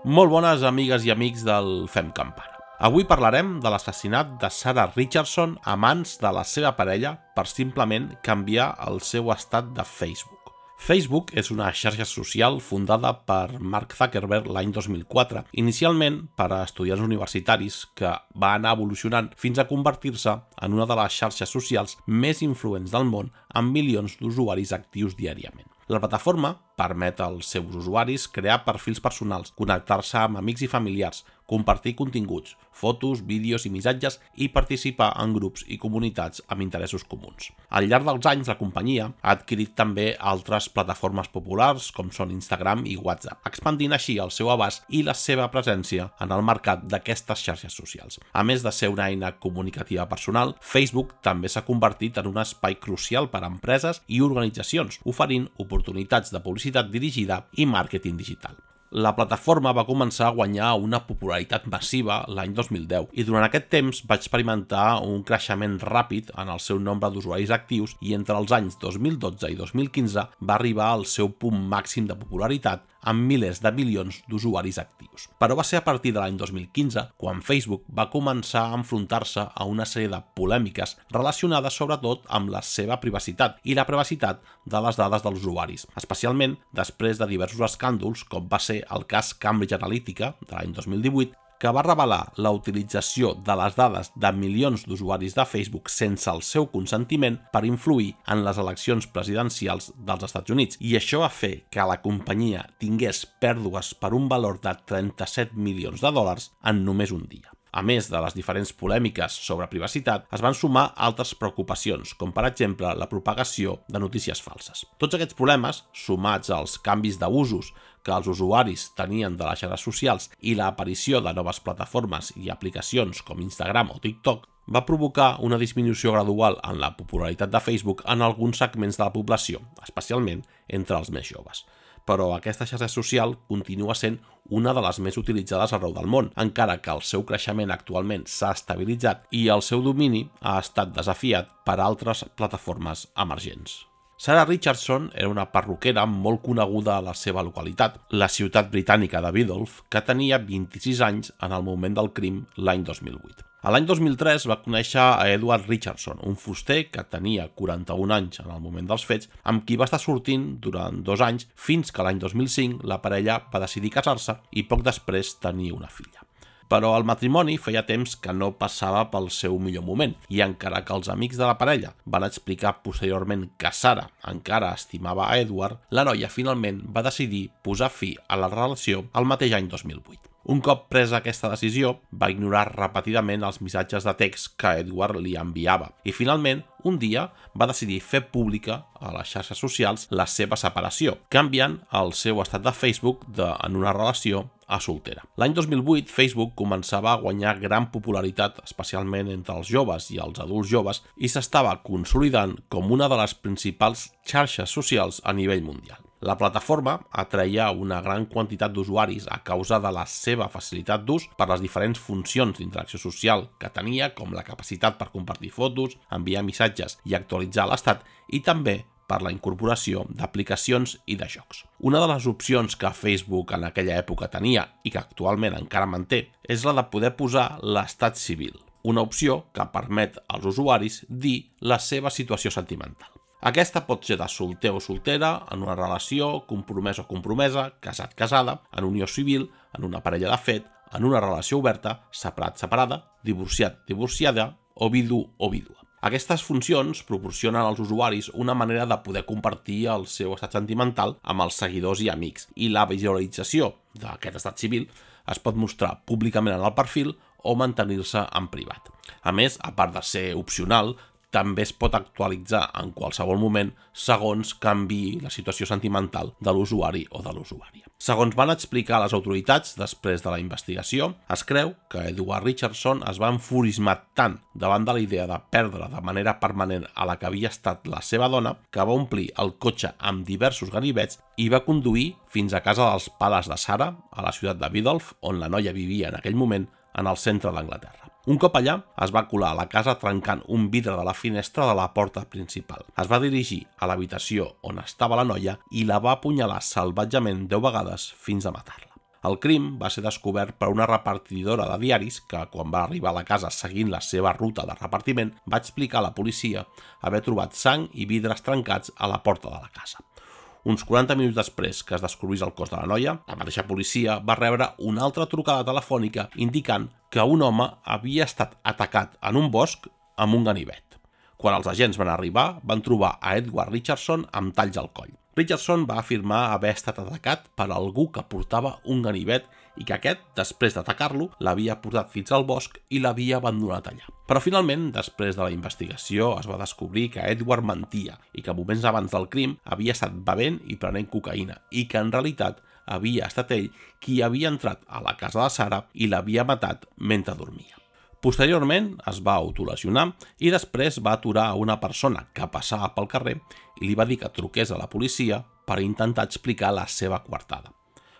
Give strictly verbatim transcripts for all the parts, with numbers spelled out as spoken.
Molt bones amigues i amics del Fem Campana. Avui parlarem de l'assassinat de Sarah Richardson a mans de la seva parella per simplement canviar el seu estat de Facebook. Facebook és una xarxa social fundada per Mark Zuckerberg l'any dos mil quatre, inicialment per a estudiants universitaris, que va anar evolucionant fins a convertir-se en una de les xarxes socials més influents del món amb milions d'usuaris actius diàriament. La plataforma permet als seus usuaris crear perfils personals, connectar-se amb amics i familiars, compartir continguts, fotos, vídeos i missatges i participar en grups i comunitats amb interessos comuns. Al llarg dels anys, la companyia ha adquirit també altres plataformes populars com són Instagram i WhatsApp, expandint així el seu abast i la seva presència en el mercat d'aquestes xarxes socials. A més de ser una eina comunicativa personal, Facebook també s'ha convertit en un espai crucial per a empreses i organitzacions, oferint oportunitats de publicitat dirigida i màrqueting digital. La plataforma va començar a guanyar una popularitat massiva l'any dos mil deu i durant aquest temps va experimentar un creixement ràpid en el seu nombre d'usuaris actius i entre els anys dos mil dotze i dos mil quinze va arribar al seu punt màxim de popularitat amb milers de milions d'usuaris actius. Però va ser a partir de l'any dos mil quinze quan Facebook va començar a enfrontar-se a una sèrie de polèmiques relacionades sobretot amb la seva privacitat i la privacitat de les dades dels usuaris, especialment després de diversos escàndols com va ser el cas Cambridge Analytica de l'any dos mil divuit, que va revelar la utilització de les dades de milions d'usuaris de Facebook sense el seu consentiment per influir en les eleccions presidencials dels Estats Units. I això va fer que la companyia tingués pèrdues per un valor de trenta-set milions de dòlars en només un dia. A més de les diferents polèmiques sobre privacitat, es van sumar altres preocupacions, com per exemple la propagació de notícies falses. Tots aquests problemes, sumats als canvis d'usos que els usuaris tenien de les xarxes socials i l'aparició de noves plataformes i aplicacions com Instagram o TikTok, va provocar una disminució gradual en la popularitat de Facebook en alguns segments de la població, especialment entre els més joves. Però aquesta xarxa social continua sent una de les més utilitzades arreu del món, encara que el seu creixement actualment s'ha estabilitzat i el seu domini ha estat desafiat per altres plataformes emergents. Sarah Richardson era una perruquera molt coneguda a la seva localitat, la ciutat britànica de Biddulph, que tenia vint-i-sis anys en el moment del crim l'any dos mil vuit. A l'any dos mil tres va conèixer a Edward Richardson, un fuster que tenia quaranta-un anys en el moment dels fets, amb qui va estar sortint durant dos anys fins que l'any dos mil cinc la parella va decidir casar-se i poc després tenir una filla. Però el matrimoni feia temps que no passava pel seu millor moment i encara que els amics de la parella van explicar posteriorment que Sarah encara estimava a Edward, la noia finalment va decidir posar fi a la relació el mateix any dos mil vuit. Un cop presa aquesta decisió, va ignorar repetidament els missatges de text que Edward li enviava i finalment, un dia, va decidir fer pública a les xarxes socials la seva separació, canviant el seu estat de Facebook de en una relació a soltera. L'any dos mil vuit, Facebook començava a guanyar gran popularitat, especialment entre els joves i els adults joves, i s'estava consolidant com una de les principals xarxes socials a nivell mundial. La plataforma atreia una gran quantitat d'usuaris a causa de la seva facilitat d'ús per les diferents funcions d'interacció social que tenia, com la capacitat per compartir fotos, enviar missatges i actualitzar l'estat, i també per la incorporació d'aplicacions i de jocs. Una de les opcions que Facebook en aquella època tenia i que actualment encara manté és la de poder posar l'estat civil, una opció que permet als usuaris dir la seva situació sentimental. Aquesta pot ser de solter o soltera, en una relació, compromès o compromesa, casat-casada, en unió civil, en una parella de fet, en una relació oberta, separat-separada, divorciat-divorciada o vidu o vídua. Aquestes funcions proporcionen als usuaris una manera de poder compartir el seu estat sentimental amb els seguidors i amics, i la visualització d'aquest estat civil es pot mostrar públicament en el perfil o mantenir-se en privat. A més, a part de ser opcional, també es pot actualitzar en qualsevol moment segons canviï la situació sentimental de l'usuari o de l'usuària. Segons van explicar les autoritats després de la investigació, es creu que Edward Richardson es va enfurismar tant davant de la idea de perdre de manera permanent a la que havia estat la seva dona que va omplir el cotxe amb diversos ganivets i va conduir fins a casa dels pares de Sarah, a la ciutat de Biddulph, on la noia vivia en aquell moment, en el centre d'Anglaterra. Un cop allà, es va colar a la casa trencant un vidre de la finestra de la porta principal. Es va dirigir a l'habitació on estava la noia i la va apunyalar salvatgement deu vegades fins a matar-la. El crim va ser descobert per una repartidora de diaris que, quan va arribar a la casa seguint la seva ruta de repartiment, va explicar a la policia haver trobat sang i vidres trencats a la porta de la casa. Uns quaranta minuts després que es descobrís el cos de la noia, la mateixa policia va rebre una altra trucada telefònica indicant que un home havia estat atacat en un bosc amb un ganivet. Quan els agents van arribar, van trobar a Edward Richardson amb talls al coll. Richardson va afirmar haver estat atacat per algú que portava un ganivet i que aquest, després d'atacar-lo, l'havia portat fins al bosc i l'havia abandonat allà. Però finalment, després de la investigació, es va descobrir que Edward mentia i que moments abans del crim havia estat bevent i prenent cocaïna i que en realitat havia estat ell qui havia entrat a la casa de Sarah i l'havia matat mentre dormia. Posteriorment es va autolesionar i després va aturar a una persona que passava pel carrer i li va dir que truqués a la policia per intentar explicar la seva coartada.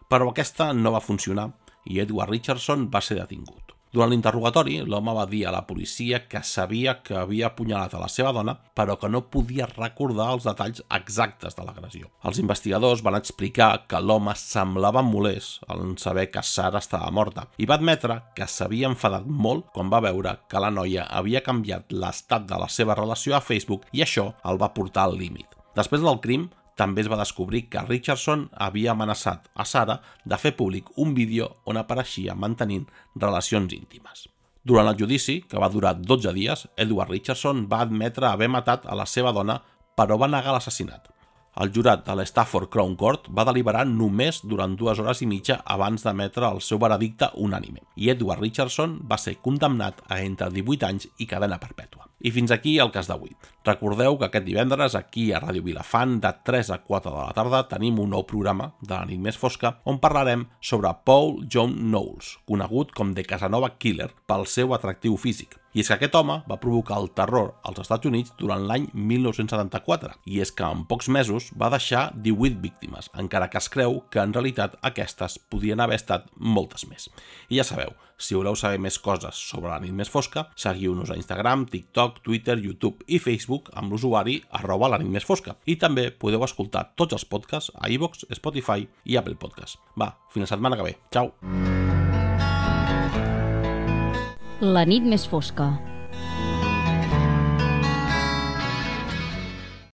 Però aquesta no va funcionar i Edward Richardson va ser detingut. Durant l'interrogatori, l'home va dir a la policia que sabia que havia apunyalat a la seva dona, però que no podia recordar els detalls exactes de l'agressió. Els investigadors van explicar que l'home semblava molest en saber que Sarah estava morta i va admetre que s'havia enfadat molt quan va veure que la noia havia canviat l'estat de la seva relació a Facebook i això el va portar al límit. Després del crim, també es va descobrir que Richardson havia amenaçat a Sarah de fer públic un vídeo on apareixia mantenint relacions íntimes. Durant el judici, que va durar dotze dies, Edward Richardson va admetre haver matat a la seva dona, però va negar l'assassinat. El jurat de l'Stafford Crown Court va deliberar només durant dues hores i mitja abans d'emetre el seu veredicte unànime, i Edward Richardson va ser condemnat a entre divuit anys i cadena perpètua. I fins aquí el cas d'avui. Recordeu que aquest divendres, aquí a Ràdio Vilafant, de tres a quatre de la tarda, tenim un nou programa de la nit més fosca on parlarem sobre Paul John Knowles, conegut com The Casanova Killer pel seu atractiu físic. I és que aquest home va provocar el terror als Estats Units durant l'any mil nou-cents setanta-quatre, i és que en pocs mesos va deixar divuit víctimes, encara que es creu que en realitat aquestes podien haver estat moltes més. I ja sabeu, si voleu saber més coses sobre la nit més fosca, seguiu-nos a Instagram, TikTok, Twitter, YouTube i Facebook amb l'usuari arroba la nit més fosca. I també podeu escoltar tots els podcasts a iVoox, Spotify i Apple Podcasts. Va, fins la setmana que ve. Ciao! La nit més fosca.